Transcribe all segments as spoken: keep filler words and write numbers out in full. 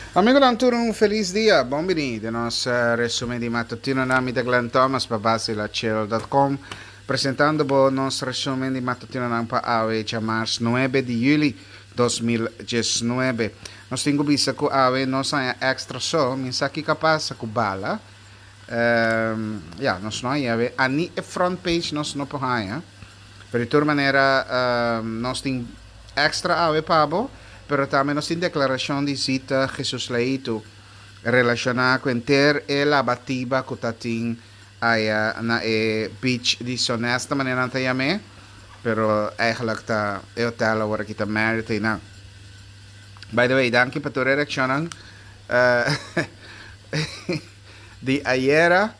Amigonan tur un felis dia, bon bini den nos resumen di matutino na mi ta Glenn Thomas pa basilachel dot com presentando bo nos resumen di matutinonan pa awe djamars nuebe di juli dos mil diesnuebe. Nos tin ku bisa ku awe nos haña extra so, mi sa kiko a pasa ku bala. Um, ya, nos no haña awe, ani e front page nos no por haña. Pero di tur manera um, nos tin extra awe pa bo. Pero tambe nos tin deklarashon di Zita Jesus Leito relashoná ku henter e labatiba ku ta tin aya na e beach di Sonesta, manera nan ta yam'é, pero eigenlijk ta e hotel awor aki ta Marriott einan. By the way, danki pa tur e reakshonnan di ayera.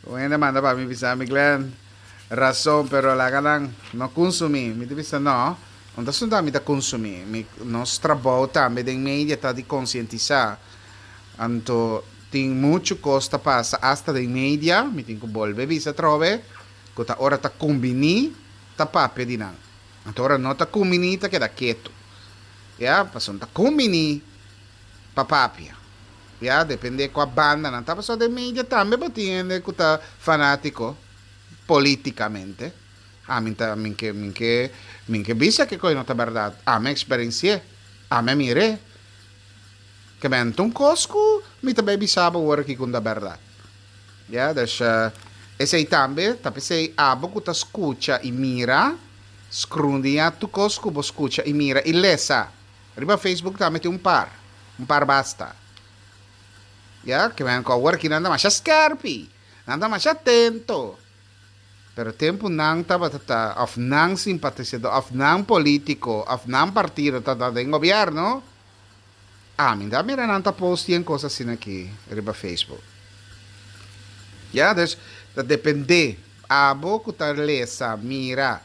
Un hende manda pa mi bisa mi, Glenn, rason, pero laga nan no kunsumí. Mi ta bisa no. Un ta asuntu ami ta kunsumí. Mi, nos trabou tambe den media ta di konsientisá. Anto tin muchu kos ta pasa asta den media, mi tin ku bolbe bisa atrobe, ku ta ora ta kumbiní ta papia di nan. Anto ora no ta kumbiní ta keda ketu. Ya, pasobra ta kumbiní pa papia. Ya, depende kua banda nan ta. Pasobra den media tambe bo tin hende ku ta fanátiko polítikamente. Ami ta, mi ke, mi ke, mi ke bisa ke koe no ta bèrdat. Ami a eksperensi'é. Ami a mir'é. Ke men ta un kos ku mi ta bai bisa bo awor aki ku ta bèrdat. Ya, dus esei tambe ta p'esei abo ku ta skucha i mira, skrundiñá tur kos ku bo skucha i mira i lesa. Riba Facebook tambe tin un par, un par basta. Ya, ke men ku awor aki nan ta masha skèrpi, nan ta masha atento. Pero tempu nan tabata ta, òf nan simpatisadó, òf nan polítiko, òf nan partido tabata den gobièrnu, ami ta mira nan ta post yen kos asina aki riba Facebook. Ya, dus ta dependé. Abo ku ta lesa, mira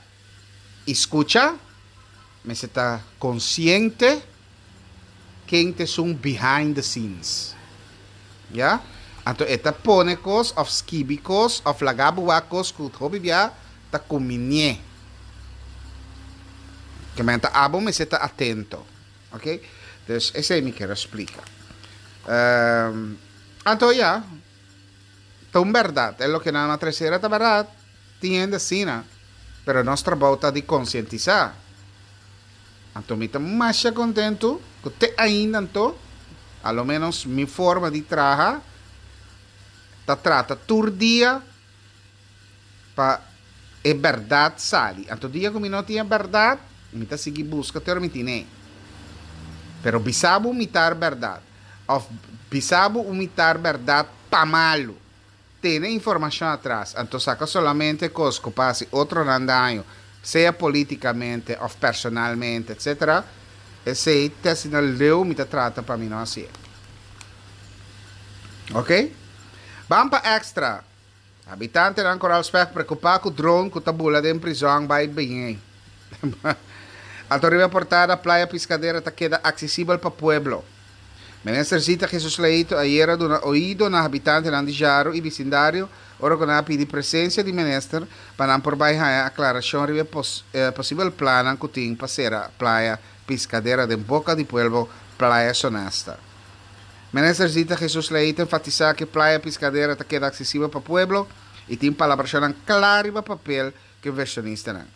i skucha, mester ta konsiente ken ta esun behind the scenes. Ya? Anto e ta pone kos òf skibi kos òf laga bo wak kos ku hopi bia ta kuminié. Ke men ta abo mester ta atento. Ok? Dus esei mi kier a splika. Um, anto ya, ta un bèrdat. E loke nan a trese era ta bèrdat. Tin hende asina. Pero nos trabou ta di konsientisá. Anto mi ta masha kontentu ku te ainda anto, a lo menos mi forma di traha, ta trata tur dia pa e bèrdat sali. Anto dia ku mi no tin e bèrdat, mi ta sigui buska te ora mi tin'é. Pero bisa bo un mitar bèrdat òf bisa bo un mitar bèrdat pa malu. Tene informashon atras, anto saka solamente kos ku pa hasi otronan daño, sea polítikamente òf personalmente, etcétera. Esei te asina leu mi ta trata pa mi no hasié. Ok? Ban pa extra. Habitantenan Koral Spek preokupá ku drone ku ta bula den prizòn bai biñ'é. Anto riba e portada Playa Piscadera ta keda aksesibel pa pueblo. Minister Zita Jesus Leito ayera a duna oido na habitantenan di Jaru i bisindario ora ku nan a pidi presensia di minister pa nan por bai haña aklarashon riba e posibel plannan ku tin pa sera Playa Piscadera den boka di pueblo Playa Sonesta. Minister Zita Jesus Leito enfatisá ku Playa Piscadera ta keda aksesibel pa pueblo i tin palabrashonnan kla riba papel ku invershonistanan.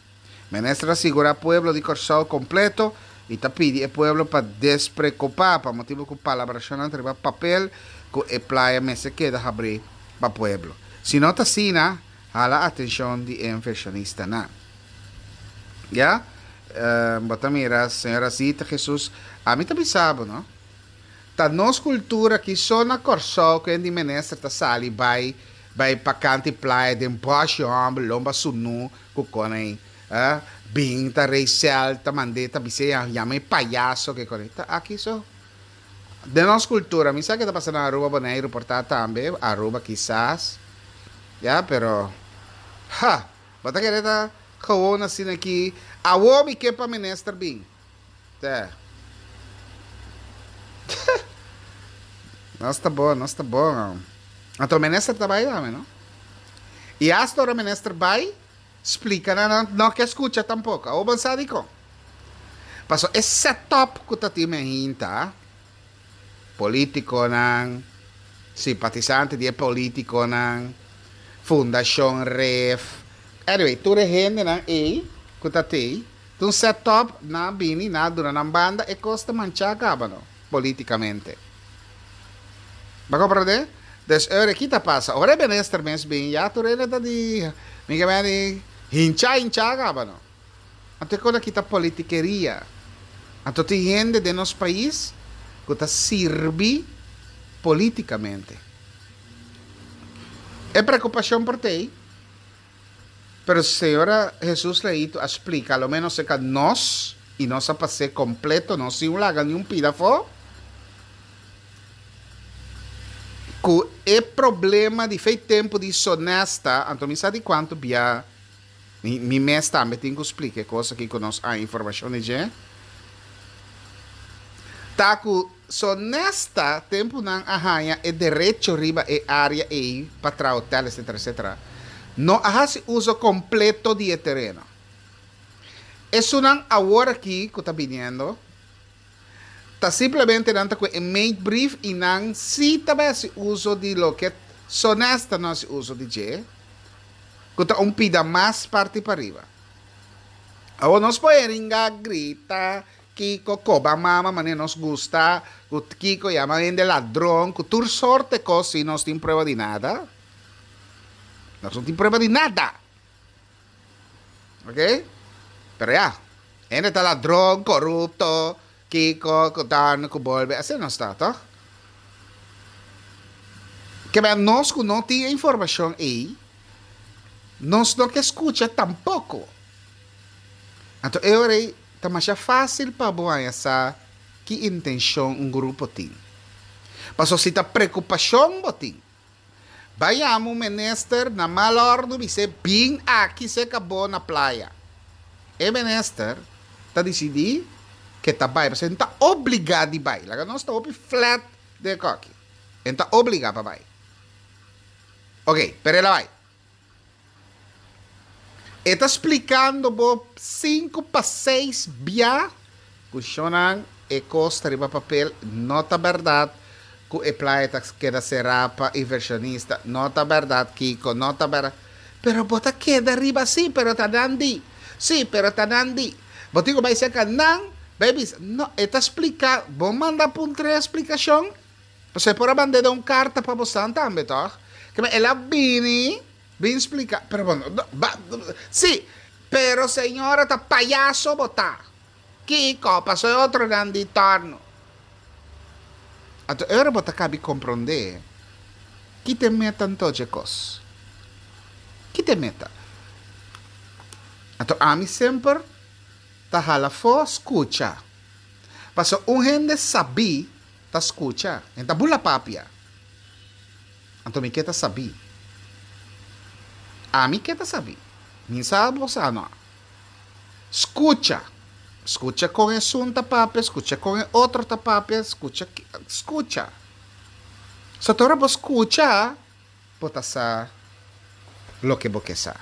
Minister a sigurá pueblo di Kòrsou kompleto i ta pidi e pueblo pa despreokupá pa motibu ku palabrashonnan ta riba papel ku e playa mester keda habrí pa pueblo. Si no ta asina, hala atenshon di e invershonistanan. Ya, bo ta mira señora Zita Jesus, ami ta bisa bo no, ta nos kultura ki so na Kòrsou ku hende minister ta sali bai bai pa kant'i playa den bòshi hòmber lomba sunú ku konei. Eh, bin ta Rachel ta mand'é ta bis'é ya yama e payaso ke kore. Ta aki so. Den nos kultura, mi sa ke ta pasa na Aruba, Boneiru por ta tambe, Aruba kisas, ya, pero, ha, bo ta kere ta gewoon asina aki, awo mi ke pa minister bin. Te. Nos ta bon, nos ta bon. Anto minister ta bai tambe, no? I hasta ora minister bai, Splika nan nan no ke skucha tampoko. Awor bo sa dikon? Paso e setup ku ta tin me hinta Polítikonan, simpatisante di e polítikonan, Fundashon Ref. Anyway, tur e hendenan ei ku ta tei, ta un set up nan bini nan duna nan banda e kos ta manchá kaba no, polítikamente. Bo a komprendé? Dus ora ki ta pasa? Ora e minister mes bin ya tur hende ta di mi ke men di hinchá hinchá kaba no. Anto e kos aki ta politikeria. Anto tin hende den nos pais ku ta sirbi polítikamente. E preokupashon por t'ei, pero señora Jesus Leito a splika, a lo ménos serka nos, i nos a pas'é kompleto, no sin un laga ni un pida afó, ku e problema di fei tempu di Sonesta, anto mi sa di kuantu bia Mi mi mes tambe tin ku splika e kos aki ku nos a informashon di dje. Ta ku Sonesta tempu nan a haña e derecho riba e área ei pa traha hotel etcetera etcetera no a hasi uso kompleto di e tereno. Esunnan awor aki ku ta biniendo ta simplemente nan ta ku e meetbrief i nan si ta bai hasi uso di loke Sonesta no hasi uso di dje. Ku ta un pida mas parti pariba. Awor nos por heringa, grita, kiko, koba mama manera nos gusta, ku kiko yama hende ladron, ku tur sorte kos si nos tin prueba di nada. Nos no tin prueba di nada. Ok? Pero ya, hende ta ladron, korupto, kiko, ku dan, ku bolbe, asina nos ta, toch? Kebé nos ku no tin e informashon ei, nos no ke skucha tampoko. Anto e ora ei ta masha fásil pa bo haña sa ki intenshon un grupo tin. Pasobra si ta preokupashon bo tin, bai yama un minister na mal òrdu bis'é bin aki serka bo na playa. E minister ta disidí ke ta bai pasobra e no ta obligá di bai. Laga nos ta hopi flat den e kòki. E no ta obligá pa bai. Oke, pero el a bai. E ta splikando bo sinku pa seis bia ku shonnan e kos ta riba papel, no ta bèrdat ku e playa ta keda será pa invershonista, no ta bèrdat kiko, no ta bèrdat. Pero bo ta keda riba sí, pero ta nan di, sí, pero ta nan di. Bo tin ku bai serka nan, bai bisa, no, e ta splika, bo manda puntra e splikashon, pasobra e por a mand'é den un karta pa bosan tambe tòg? Keme el a bini. Bin splica, pero bo no, ba, si, pero señora ta payaso bo ta. Kico, paso e otronan di torno. Anto e ora bo ta cabi comprende ki t'e meta anto dje cos. Ki t'e meta? Anto ami semper ta hala fo scucha. Paso un hende sabi ta scucha, e ta bula papia. Anto mi ke ta sabí. Ami ke ta sabí. Mi sa bo sa no. Skucha. Skucha kon esun ta papia, skucha kon e otro ta papia, skucha, skucha. So ta ora bo skucha, bo ta sa loke bo ke sa.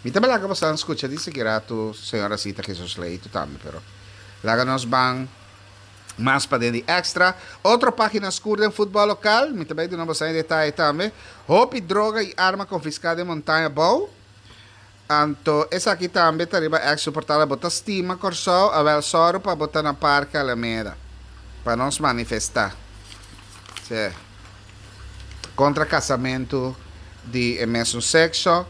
Mi ta laga bosan skucha di seki ratu señora Sita Jesus Leito tambe, pero laga nos ban mas paden di extra. Otro pagina skur den futbol lokal, mi ta bai duna bosan e detaye tambe. Hopi droga i arma konfiská den Montaña Bou. Anto esaki tambe ta riba extra portal. Bo ta stima Kòrsou? Awèl sòru pa bo ta na Parke Alameda pa nos manifestá. Sí. Kontra kasamentu di e mesun sekso.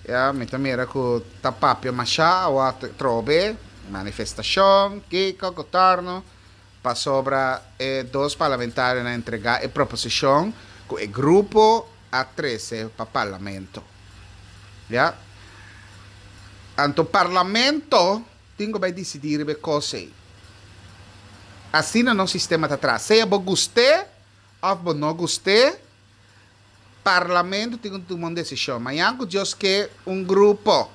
Ya, mi ta mira ku ta papia mashá awa trobe. Manifestashon, kiko, gotorno, pasobra e dos parlamentarionan a entregá e proposishon ku e grupo a trese pa parlamento. Ya. Anto parlamento tin ku bai disidí riba e kos ei. Asina nos sistema ta traha. Sea bo gust'é òf bo no gust'é, Parlamento tin ku tuma un desishon. Mañan ku Dios ke un grupo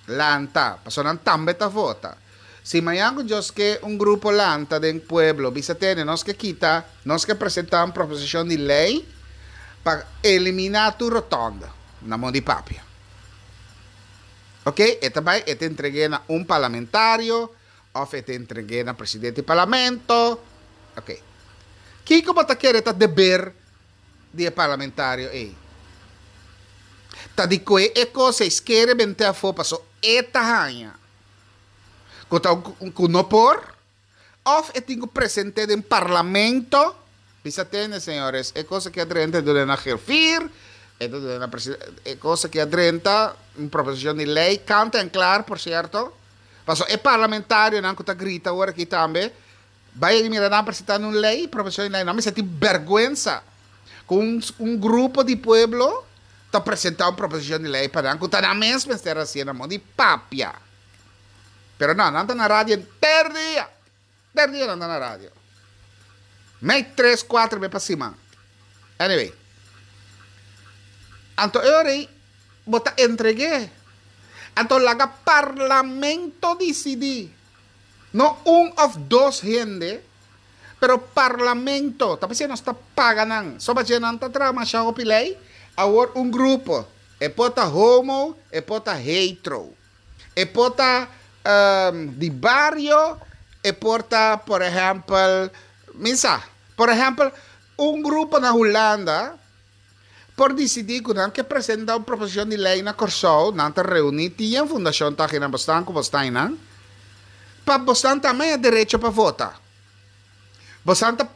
lanta, pasobra nan tambe ta vota. Si mañan ku Dios ke un grupo lanta den pueblo bisa tene nos ke kita, nos ke presentá un proposishon di lei pa eliminá tur rotònda na mon di papia. Oke, e ta bai e ta entreg'é na un parlamentario òf e ta entreg'é na presidente di parlamento. Oke. Kiko bo ta kere ta deber di e parlamentario ei? Ta di koe e kos ei skere bente afó paso e ta haña ku ta ku no por òf e tin ku present'é den parlamento bisa tende señores e kos aki a drenta e duna na griffier e ta duna na presidente e kos aki a drenta un proposishon di lei kant en klaar por sierto paso e parlamentarionan ku ta grita awor aki tambe Bai mira nan presentando un ley, proposicion di ley, nan mester tin berguensa cu un un grupo di pueblo ta presenta un proposicion di ley pa nan cu ta nan mes mester hacié nan modo di papia. Pero no, nan ta na radio henter dia, henter dia nan ta na radio. Mei tres, cuatro be pa siman. Anyway, anto e ora ei bo ta entreg'é. Anto laga parlamento dicidi. No un of dos hende, pero parlamento. Ta p'esei nos ta paga nan. Soba dje nan ta traha masha hopi lei. Awor un grupo, e por ta homo, e por ta hetero, e por ta di bario, e por ta por ehempel, mi sa, por ehempel un grupo na Hulanda por disidí ku nan ke presentá un proposishon di lei na Kòrsou, nan ta reuní, tin e fundashon ta akinan, bosnan ku bosnan einan, pa bosnan tambe haña derecho pa vota. Bosnan ta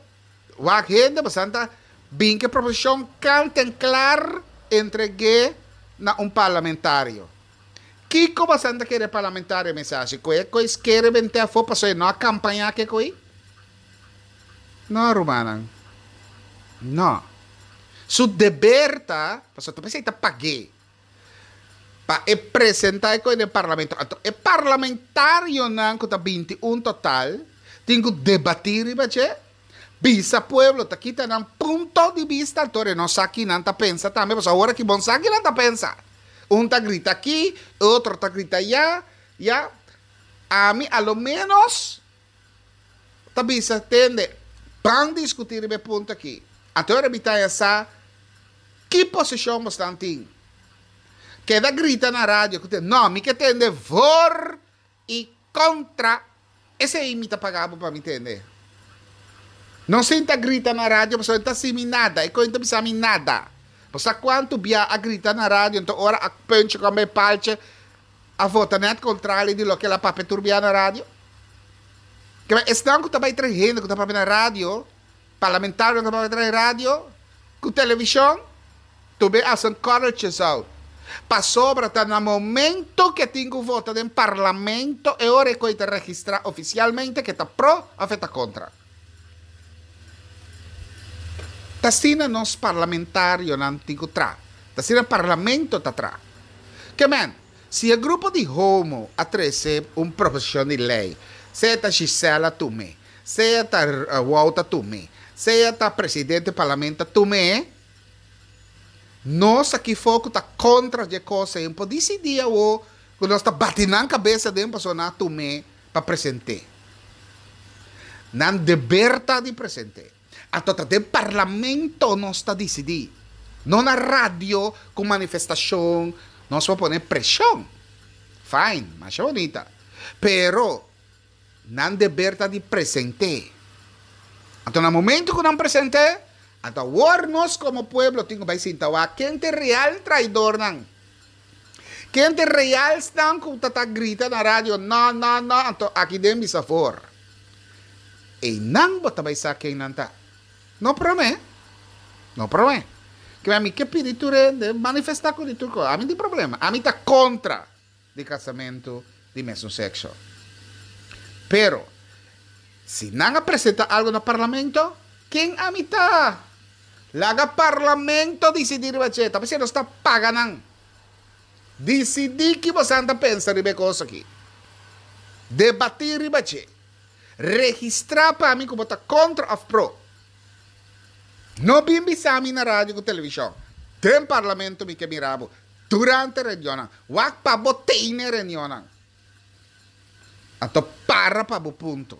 wak hende, bosnan ta bin ku e proposishon kant en klar entreg'é na un parlamentario. Kiko bosnan ta kere e parlamentario mester hasi? Ku e kois kere bent'é afó pasobra e no a kampañá ku e koi? No, rumannan. No. Su deber ta, pasobra ta p'esei ta pag'é, pa e presentá e kos den parlamento. Anto e parlamentarionan ku ta binti un total tin ku debatí riba dje, bisa pueblo ta kita nan punto di bista, anto e no sa ki nan ta pensa tambe, pasobra awor aki bon sa ki nan ta pensa. Un ta grita aki, e otro ta grita ayá, ya. Ami a lo ménos ta bisa, Tende, ban diskutí riba e punto akí. Anto ora mi ta haña sa ki posishon bosnan tin. Keda grita na radio ku te, No, mi ke tende voor i kontra. Esei mi ta paga bo pa mi tende. No sinta grita na radio pasobra e ta hasi mi nada, e koe no ta bisa mi nada. Bo sa kuantu bia a grita na radio, anto ora a punch ku a bai palche a vota nèt kontrali di loke el a papia tur bia na radio? Keba esnan ku ta bai trae hende ku ta papia na radio, parlamentarionan ku ta papia trae radio ku televishon, tur be hasi un kòrreltjes out. Pasobra ta na momento ku e tin ku vota den parlamento e ora e koi ta registrá ofisialmente ku e ta pro òf e ta kontra. Ta asina nos parlamentarionan tin ku traha. Ta asina parlamento ta traha. Ke men, si e grupo di homo a trese un proposishon di lei, sea ta Gisela tum'é, sea ta Wouter tum'é, sea ta presidente parlamento tum'é, nos aki for ku ta kontra dje kos ei, por disidí awor ku nos ta bati nan kabes aden pasobra nan a tum'é pa present'é. Nan deber ta di present'é. Anto ta den parlamento nos ta disidí, no na radio ku manifestashon nos por pone preshon. Fine, masha bonita. Pero nan deber ta di present'é. Anto na momento ku nan present'é, anto awor nos komo pueblo tin ku bai sinta wak ken ta e real traidornan. Ken ta e realsnan ku ta ta grita na radio no, no, no, anto aki den bisa for. Einan bo ta bai sa ken nan ta. No promé. No promé. Ke ami ke pidi tur hende manifestá ku di tur kos. Ami tin problema. Ami ta kontra di kasamentu di mesun sekso. Pero, si nan a presentá algu na parlamento, ken ami ta? Laga parlamento disidí riba dje. Ta p'esei nos ta paga nan. Disidí ki bosan ta pensa riba e kos aki. Debatí riba dje. Registrá pa mi ku bo ta kontra òf pro. No bin bisa mi na radio ku televishon. Den parlamento mi ke mira bo durante reunionnan. Wak pa bo tene reunionnan. Anto para pa bo punto.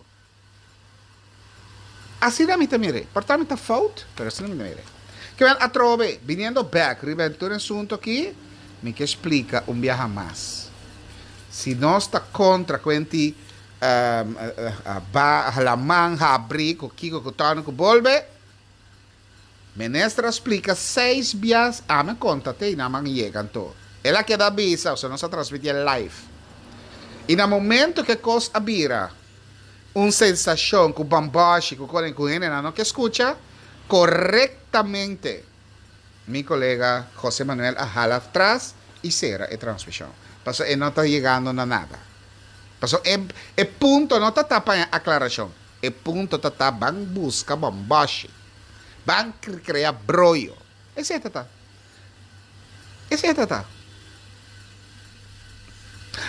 Asina mi ta mir'é. Por ta mi ta fout, pero asina mi ta mir'é. Kibel atrobe, biniendo bek riba e tur asunto aki, mi ke splika un biaha mas. Si nos ta kontra kuenti ba hala man habri ku kiko ku tòrnu ku bolbe, Minister a splika seis biaha, ami a konta te i nan a yega anto. El a keda bisa, osea nos a transmití live. I na momento ku e kos a bira un sensashon ku bambashi ku kos ku hendenan no ke skucha, korektamente mi kolega José Manuel a hala atras i sera e transmishon. Pasobra e no ta yegando na nada. Pasobra e e punto no ta ta pa aklarashon, e punto ta ta ban buska bambashi, ban krea broyo. Esei ta ta. Esei ta ta.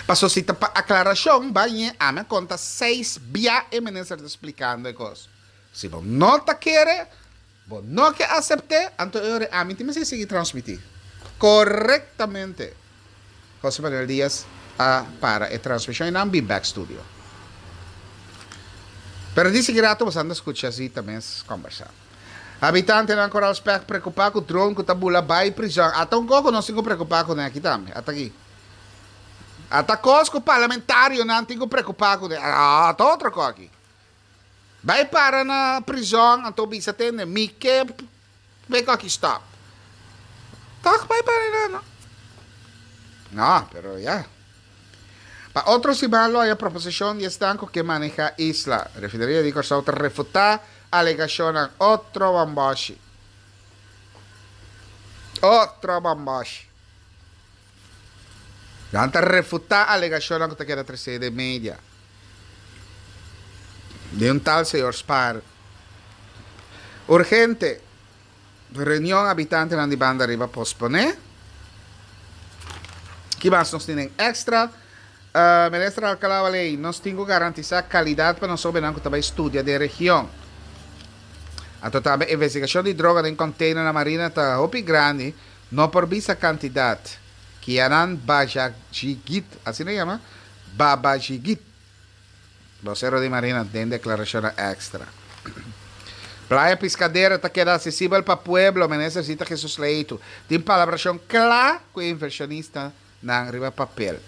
Pasobra si ta pa aklarashon, bai ami a konta seis bia e minister ta splikando e kos. Si bo no ta kere, bo no ke asept'é, anto e ora ami tin mester sigui transmití. Korektamente José Manuel Diaz a para e transmishon i nan bin bèk studio. Pero di sigui rato boso anda skucha Zita mes kombersá. Habitantenan Koral Spèk preokupá ku dron ku ta bula bai prizòn. Ata un kos ku nos tin ku preokupá kuné aki tambe. Ata aki. Ata kos ku parlamentarionan tin ku preokupá kuné. Ata otro kos aki. Bai para na prizòn anto bisa tende mi ke p'e kos aki stòp. Tòg bai para einan no. No, pero ya. Pa otro siman lo haya proposishon di esnan ku ke maneha isla. Refineria di Kòrsou ta refutá alegashonnan. Otro bamboshi. Otro bamboshi. Nan ta refutá alegashonnan ku ta keda tresé den media. Di un tal señor Spaar. Urgente. Reunion habitantenan di banda riba posponé. Ki mas nos tin den extra? Minister Alcalá Waley, Nos tin ku garantisá kalidat pa nos hóbennan ku ta bai studia den region. Anto tambe investigashon di droga den container na Marina ta hopi grandi, no por bisa kantidat. Kianan Bajajigit, asina e yama? Babajigit. Bosero di Marina den deklarashonnan extra. Playa Piscadera ta keda asesibel pa pueblo, Minister Zita Jesus Leito tin palabrashon kla ku e invershonistanan riba papel.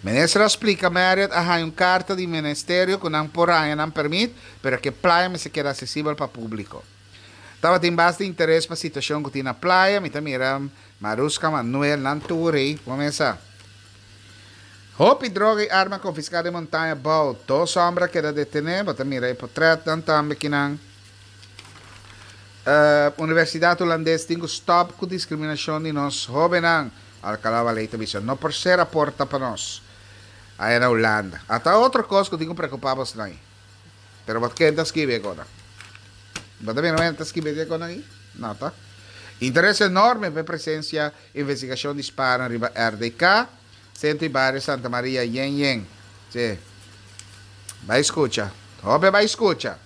Minister a splika Marriott a haña un karta di Ministerio ku nan por haña nan permit, pero ku e playa mester keda asesibel pa públiko. Tabatin basta interes pa situashon ku tin na playa, mi ta mira Maruska, Manuel, nan tur ei, bo mesa. Hopi droga i arma konfiská den Montaña Bou. Dos hòmber a keda detené, bo ta mira e potrètnan tambe kinan. Universidat Hulandes tin ku stòp ku diskriminashon di nos hóbennan, Alcalá Valey ta bisa. No por sera porta pa nos aya na Hulanda. Ata otro kos ku tin ku preokupá bosnan ei. Pero bo ken ta skibi e konan? Bo ta mira wen ta skibi e konan ei? No ta. Interes enorme pa e presensia investigashon di spanan riba R D K, Sentro i Bario Santa Maria yen yen. Si. Bai skucha. Hopi bai skucha.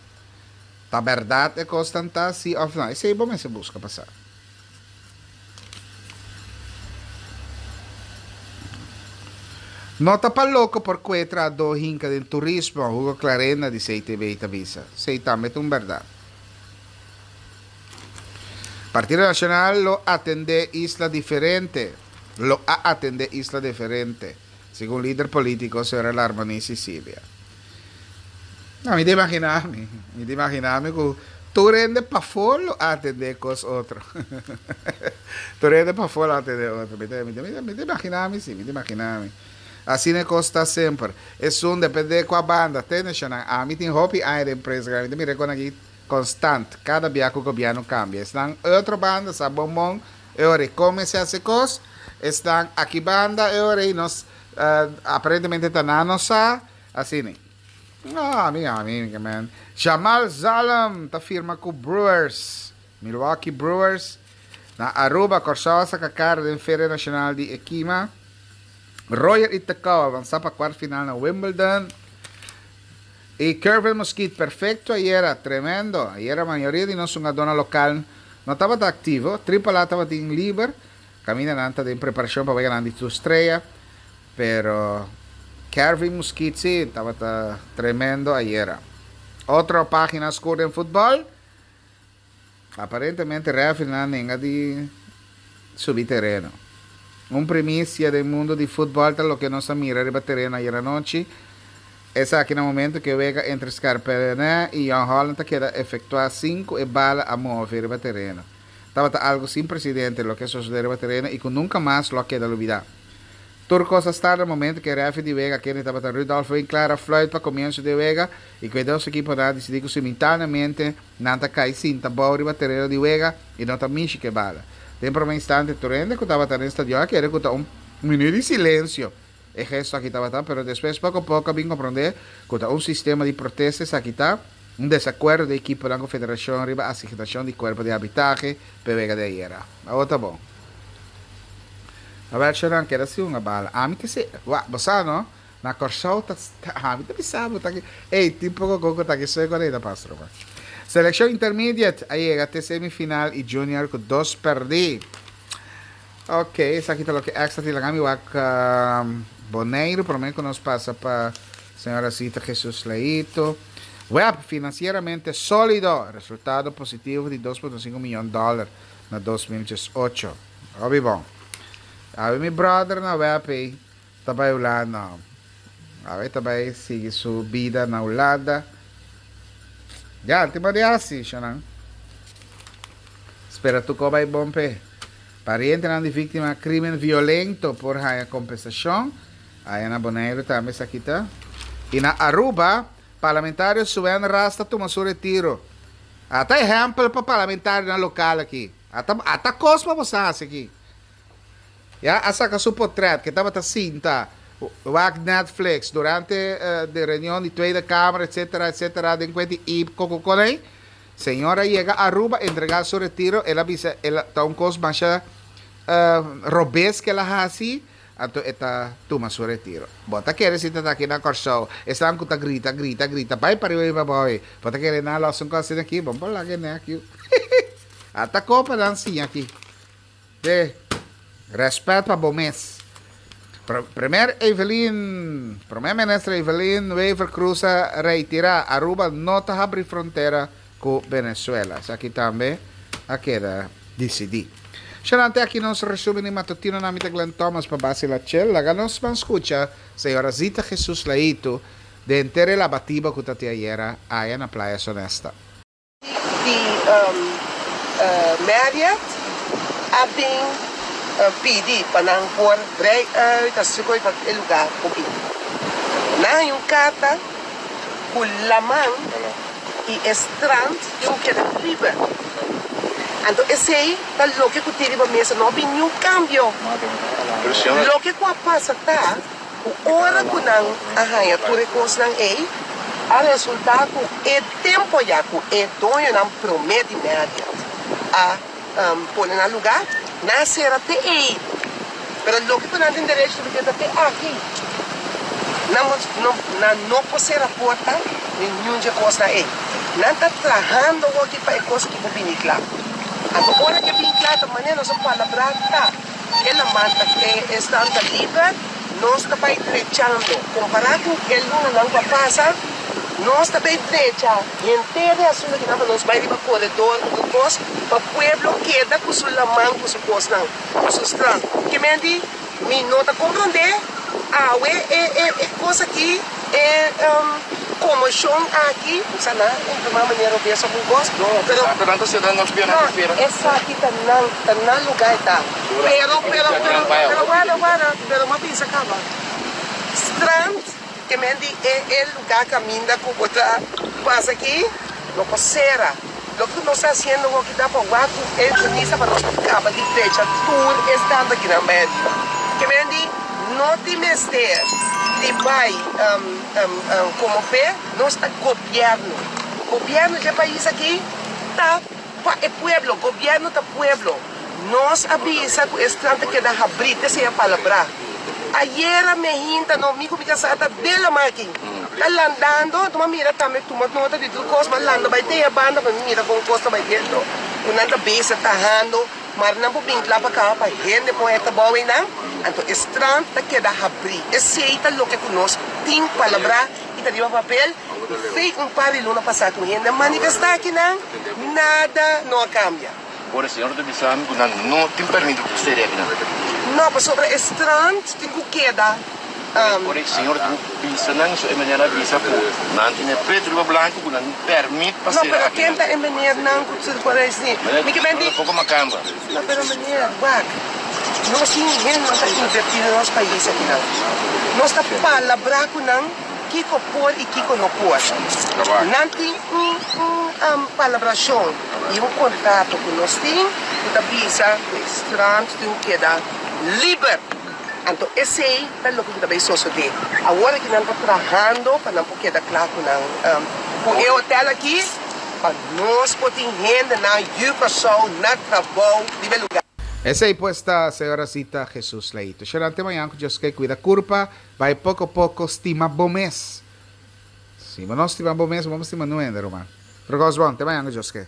Ta bèrdat e kosnan ta si òf no? Esei bo mester buska pa sa. No ta pa loko por kue trahadó hinka den turismo, Hugo Clarenda di C T B ta bisa. Esei tambe ta un bèrdat. Partido Nacional lo atendé isla diferente, lo a atendé isla diferente, segun lider polítiko señora Larmonie Cicilia. No, mi ta imaginá mi, mi ta imaginá mi ku tur hende pafó lo a atendé kos otro. Tur hende pafó lo a atendé otro. Mi ta, mi ta, mi ta imaginá mi si, mi ta imaginá mi. Asina e kos ta semper. Esun dependé kua banda. Te nashonal. Ami tin hopi aña den prensa, mi ta mira e kon aki konstant, kada bia ku gobièrnu kambia. Esnan e otro banda sa bon bon e ora ei kon mester hasi kos. Esnan aki banda e ora ei nos aparentemente ta nan no sa. Asina. No, ami ami ke men. Jamal Zalm ta firma ku Brewers, Milwaukee Brewers. Na Aruba, Kòrsou a saka kara den Feria Nashonal di Ekima. Royer i Tecau avansá pa kuart final na Wimbledon. I Kervin Mosquit perfecto ayera, tremendo. Ayera mayoria di nos hungadónan lokal no tabata aktivo. Triple A tabatin liber. Kaminda nan ta den preparashon pa weganan di tur strea. Pero Kervin Mosquit si tabata tremendo ayera. Otro pagina skur den futbòl. Aparentemente refereenan nenga di subi tereno. Un primisia den mundo di futbòl ta loke nos a mira riba tereno ayer anochi. Esaki na momento ku e wega entre Scarpellenè i Jong Holland ta keda efektuá sin ku e bala a move riba tereno. Tabata algo sin precedente loke a sosode riba tereno y cu nunca mas lo a keda lubida. Tur cos a start na momento cu e referee di wega, kende tabata Rudolf Winklaar, a fluit pa comienso di wega y cu e dos ekiponan a dicidi cu simultaneamente nan ta cay sinta abou riba tereno di wega y no ta mishi cu e bala. Den prome instante tur hende cu tabata den stadion a kere cu ta un minuut di silencio e gesto aki tabata, pero despues poco poco a bin comprende cu ta un sistema di protesta esaki ta, un desacuerdo di ekiponan cu federacion riba asignacion di cuerpo di arbitrahe p'e wega di ayera. Awor ta bon. Awel Sharon keda sin un bala. Ami ke se, wak, bo sa no, na Kòrsou ta, ami ta bisa bo ta ki, ey, tin poko koko ta ki soy ku ta pas ruman. Selekshon Intermediate a yega te semifinal i Junior ku dos pèrdí. Ok, esaki ta loke extra tin. Laga mi wak Boneiru promé ku nos pasa pa señora Zita Jesus Leito. Web, finansieramente sólido, resultado positivo di dos punto sinku miyon dòler na dos mil diesocho. Hopi bon. Awe mi brother na web ei ta bai Hulanda. Awe ta bai sigui su bida na Hulanda. Ya, tin bo di hasi, shonan. Spera tur ko bai bon p'e. Parientenan di víktima krimen violento por haña kompensashon. Aya na Boneiru tambe esaki ta. I na Aruba, parlamentario Suen Ras ta tuma su retiro. Ata ehèmpel pa parlamentarionan lokal aki. Ata ata kos pa boso hasi aki. Ya a saka su potrèt ke tabata sinta wak Netflix durante de reunion di Tweede Kamer etcetera etcetera den kuenti i kokokonei. Señor a yega Aruba entrega su retiro el a bisa el a ta un kos masha robes ke el a hasi anto e ta tuma su retiro. Bo ta kere si ta ta aki na Kòrsou esnan ku ta grita grita grita bai pariba i pabou ei bo ta kere nan a lòs un kos asina aki bo por laga e nek yu ata kopa nan siña aki de rèspèt pa bo mes. Premier Evelyn Prome Minister Evelyn Wever-Croes a reitera Aruba no ta habri frontera cu Venezuela. Esaki tambe a keda dicidi. Shalante aki nos resumen di matutino na mi ta Glenn Thomas pa base la chel. Laga nos ban scucha Señora Zita Jesus Laito den henter e labatiba cu ta tin ayera aya na Playa Sonesta. Di Marriott a bin pidi pa nan por brei uit asina koe pa e lugar por bin. Nan haña un karta ku laman i e strand tin ku keda liber. Anto esei ta loke ku tin riba mesa, no a bin niun kambio. Loke ku a pasa ta ku ora ku nan a haña tur e kosnan ei, a resultá ku e tempu ya ku e doñonan promé di Marriott a pone nan lugá, nan a sera te ei. Pero loke ku nan tin derecho ta ta te aki. Nan no, nan no por sera porta ni niun dje kosnan ei. Nan ta trahando hoki pa e kos aki por bini kla. Anto ora ku e bini kla ta manera nos a palabrá ta. E laman ta e esnan ta liber, nos ta bai drechando. Kompará ku e lunanan ku a pasa, nos ta bai drecha henter e asuntu akinan pa nos bai riba koredor ku tur kos, pa pueblo keda ku su laman ku su kosnan, ku su strand. Ke men di, mi no ta komprondé awe e e e kos aki, e Komoshon aki, sa nan informá manera robes òf un kos, pero no, esaki ta nan, ta nan lugá e ta. Pero, pero, pero, pero warda, warda, pero mi a bisa kaba. Strand, ke men di e e lugá kaminda ku bo ta pasa aki, no por sera. Loke ku nos ta hasiendo hoki ta pa wak ku e minister pa nos por kaba di drecha tur e stand akinan bai ariba. Ke men di no tin mester di bai komo fe, nos ta gobierno. Gobierno dje pais aki ta pa e pueblo, gobierno ta pueblo. Nos a bisa ku e strand ta keda habrí, te seña palabrá. Ayera me hinta no, mi ku mi kasá ta den laman aki, ta landando, anto mi a mira tambe tuma nota di tur kos, mi a landa bai te e banda pa mi mira kon kos ta bai dentro, ku nan ta bezig tahando, mar nan por bin kla pa kaba pa hende por heta bou einan, anto e strand ta keda habrí. Esei ta loke ku nos tin palabrá i ta riba papel, i fei un par di luna pasá ku hende a manifestá akinan, nada no a kambia. Ora e señor ta bisa mi ku nan no tin permit di sede akinan. No, pasobra e strand tin ku keda Um, Ora señor bisa nan so e manera bisa ku nan tin pretu riba blanku ku nan pèrmit pa No, sera pero aki. ken ta e meneer nan ku se por asina? Mi ke men di Poko makamba. No, pero meneer, wak. Nos tin hende nan ta invertí den nos pais aki nan. Nos ta palabrá ku nan kiko por i kiko no por. Nan tin un un um, palabrashon i un kontrato ku nos tin ku ta bisa ku e strand tin keda liber. Anto esei ta loke ku ta bai sosodé. Awor ku nan ta trahando pa nan por keda kla ku nan um, ku e hotel aki pa nos por tin hende nan yu Kòrsou na trabou riba e lugá. Esei pues ta señora Zita Jesus Leito. Será te mañan ku Dios ke. Kuida kurpa, bai poko poko, stima bo mes. Si no stima bo mes, ban stima no, ruman. Pero bon, te mañan ku Dios ke.